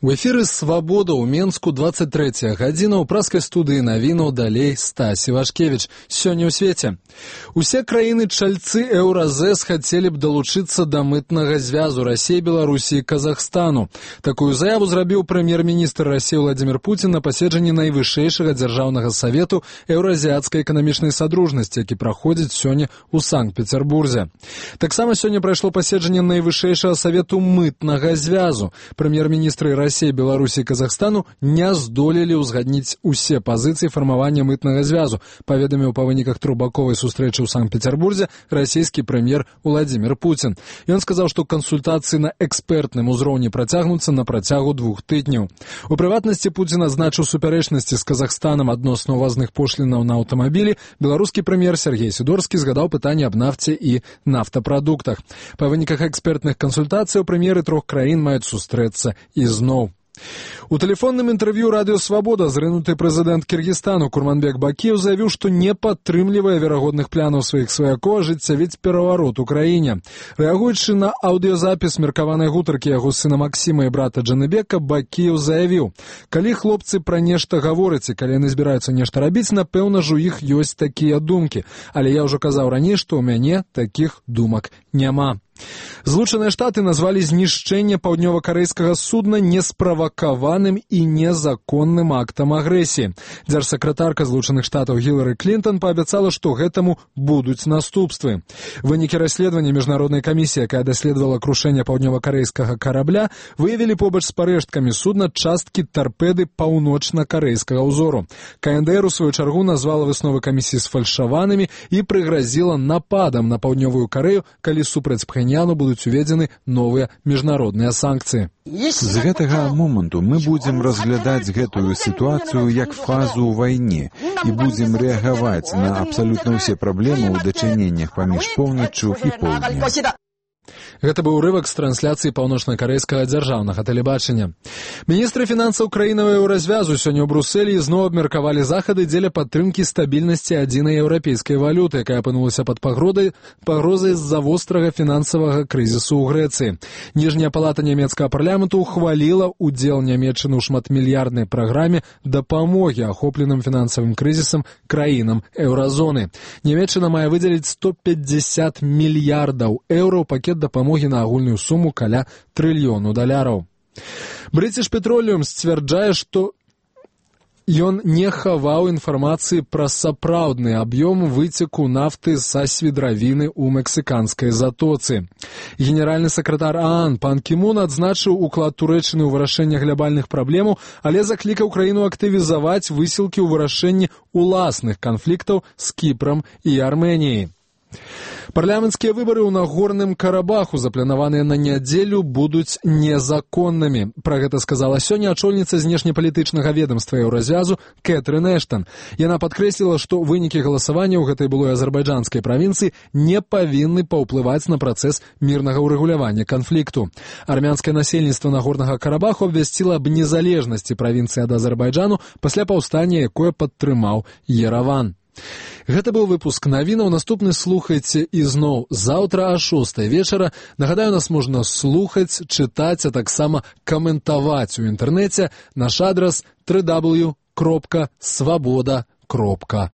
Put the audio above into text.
У эфіры «Свабода» ў Менску 23 гадзіна ў праскай студыі навінаў далей Стась Івашкевіч. Сёння ў свеце. Усе краіны-чальцы Еўразэс хацелі б далучыцца да мытнага звязу Расіі, Беларусі і Казахстану. Такую заяву зрабіў прэм'ер-міністр Расіі Владзімір Пуцін на паседжанні найвышэйшага дзяржаўнага савету Еўразіяцкай эканамічнай садружнасці, які праходзіць сёння ў Санкт-Пецярбурзе. Таксама сёння прайшло паседжанне найвышэйшага савету мытнага звязу. Прэм'ер-міністры Расіі, Беларусі і Казахстану не здолелі ўзгадніць усе пазіцыі фармавання мытнага звязу, паведаміў па выніках трохбаковай сустрэчы ў Санкт-Пецярбурзе расійскі прэм'ер Владзімір Пуцін. Ён сказаў, што кансультацыі на экспертным узроўні працягнуцца на працягу 2 тыдняў. У прыватнасці Пуцін адзначыў супярэчнасці з Казахстанам адносна ўвазных пошлінаў на аўтамабілі. Беларускі прэм'ер Сергей Сідорскі згадаў пытанне аб нафце і нафтапрадуктах. Па выніках экспертных кансультацый прэм'еры 3 краін маюць сустрэцца ізноў. У тэлефонным інтэрв'ю радыё «Свабода» зрынуты прэзідэнт Кіргізстану Курманбек Бакіеў заявіў, што не падтрымлівае верагодных планаў сваіх сваякоў ажыццявіць пераварот у краіне. Рэагуючы на аўдыёзапіс меркаванай гутаркі яго сына Максіма і брата Джаныбека, Бакіеў заявіў: «Калі хлопцы пра нешта гавораць і калі яны збіраюцца нешта рабіць, напэўна ж у іх ёсць такія думкі. Але я ўжо казаў раней, што ў мяне такіх думак няма». Злучаныя Штаты назвалі знішчэнне паўднёва-карэйскага судна несправакаваным і незаконным актам агрэсіі. Дзяржсакратарка Злучаных Штатаў Гілары Клінтон паабяцала, што гэтаму будуць наступствы. Вынікі расследавання міжнароднай камісіі, якая даследавала крушэнне паўднёва-карэйскага карабля, выявілі побач з парэшткамі судна часткі тарпеды паўночна-карэйскага ўзору. КНДР у сваю чаргу назвала высновы камісіі сфальшаванымі і прыгразіла нападам на паўднёвую Карэю, калі супраць Пхеньяну будуць уведзены новыя міжнародныя санкцыі. З гэтага моманту мы будзем разглядаць гэтую сітуацыю як фазу ў вайне і будзем рэагаваць на абсалютна ўсе праблемы ў дачыненнях паміж поўначчу і поўднем. Гэта быў урывак з трансляцыі паўночна-карэйскага дзяржаўнага тэлебачання. Міністры фінансаў краінаў еўразвязу сёння ў Брусэлі ізноў абмеркавалі захады дзеля падтрымкі стабільнасці адзінай еўрапейскай валюты, якая апынулася пад пагрозай з-за вострага фінансавага крызісу ў Грэцыі. Ніжняя палата нямецкага парламенту ухваліла ўдзел Нямецчыны ў шматмільярднай праграме дапамогі ахопленым фінансавым крызісам краінам еўразоны. Нямецчына мае выдзеліць 150 мільярдаў еўра ў пакет дапамогі на агульную суму каля $1 трыльёна. British Petroleum сцвярджае, што ён не хаваў інфармацыі пра сапраўдны аб'ём выцеку нафты са свідравіны ў мексіканскай затоцы. Генеральны сакратар ААН Пан Кі Мун адзначыў уклад Турэччыны ў вырашэнне глябальных праблемаў, але заклікаў краіну актывізаваць высілкі ў вырашэнні уласных канфліктаў з Кіпрам і Арменіяй. Парламенцкія выбары ў Нагорным Карабаху, запланаваныя на нядзелю, будуць незаконнымі. Пра гэта сказала сёння ачольніца знешнепалітычнага ведамства Еўразвязу Кэтрын Эштан. Яна падкрэсліла, што вынікі галасавання ў гэтай былой азербайджанскай правінцыі не павінны паўплываць на працэс мірнага ўрэгулявання канфлікту. Армянскае насельніцтва Нагорнага Карабаху абвясціла аб незалежнасці правінцыі ад Азербайджану пасля паўстання, якое падтрымаў Ераван. Гэта быў выпуск навінаў. Наступны слухайце ізноў заўтра о 6 вечара. Нагадаю, нас можна слухаць, чытаць, а таксама каментаваць у інтэрнэце. Наш адрас www.swaboda.org.